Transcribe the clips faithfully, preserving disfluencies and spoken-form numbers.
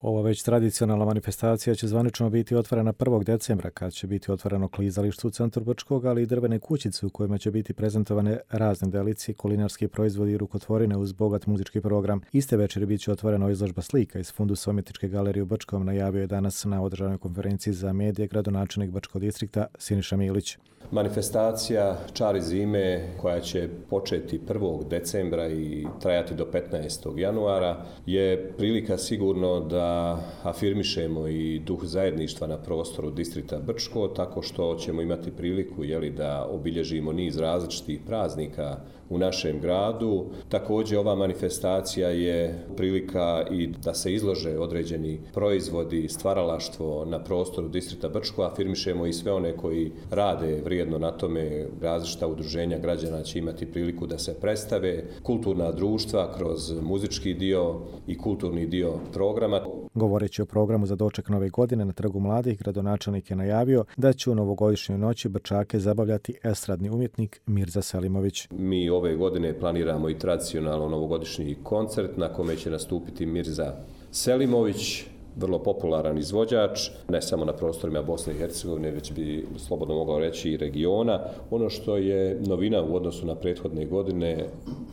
Ova već tradicionalna manifestacija će zvanično biti otvorena prvog decembra, kad će biti otvoreno klizalište u centru Brčkog, ali i drvene kućice u kojima će biti prezentovane razne delicije, kulinarski proizvodi i rukotvorine uz bogat muzički program. Iste večeri bit će otvorena izložba slika iz fundusa Umjetničke galerije u Brčkom, najavio je danas na održanoj konferenciji za medije gradonačelnik Bačkog distrikta Siniša Milić. Manifestacija Čari zime, koja će početi prvog decembra i trajati do petnaestog januara, je prilika sigurno da afirmišemo i duh zajedništva na prostoru distrikta Brčko, tako što ćemo imati priliku jeli, da obilježimo niz različitih praznika u našem gradu. Također ova manifestacija je prilika i da se izlože određeni proizvodi, stvaralaštvo na prostoru distrikta Brčko, afirmišemo i sve one koji rade vrijedno na tome. Različita udruženja građana će imati priliku da se predstave, kulturna društva kroz muzički dio i kulturni dio programa. Govoreći o programu za doček nove godine na Trgu mladih, gradonačelnik je najavio da će u novogodišnjoj noći Brčake zabavljati estradni umjetnik Mirza Selimović. Mi ove godine planiramo i tradicionalno novogodišnji koncert na kome će nastupiti Mirza Selimović, vrlo popularan izvođač, ne samo na prostorima Bosne i Hercegovine, već bi slobodno mogao reći i regiona. Ono što je novina u odnosu na prethodne godine,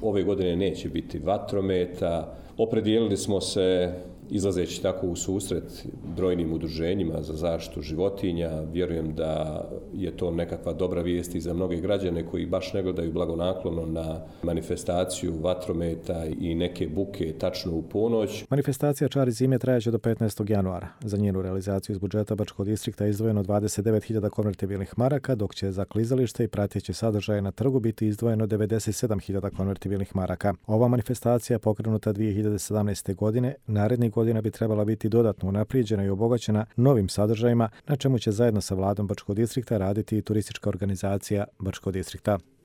ove godine neće biti vatrometa. Opredijelili smo se, izlazeći tako u susret brojnim udruženjima za zaštitu životinja. Vjerujem da je to nekakva dobra vijest i za mnoge građane koji baš ne gledaju blagonaklono na manifestaciju vatrometa i neke buke tačno u ponoć. Manifestacija Čari zime trajaće do petnaestog januara. Za njenu realizaciju iz budžeta Bačkog distrikta izdvojeno dvadeset devet hiljada konvertibilnih maraka, dok će za klizalište i prateće sadržaje na trgu biti izdvojeno devedeset sedam hiljada konvertibilnih maraka. Ova manifestacija je pokrenuta dvije hiljade sedamnaeste. godine. Narednih godina bi trebala biti dodatno unaprijeđena i obogaćena novim sadržajima, na čemu će zajedno sa vladom Bačkog distrikta raditi i turistička organizacija Bačkog distrikta.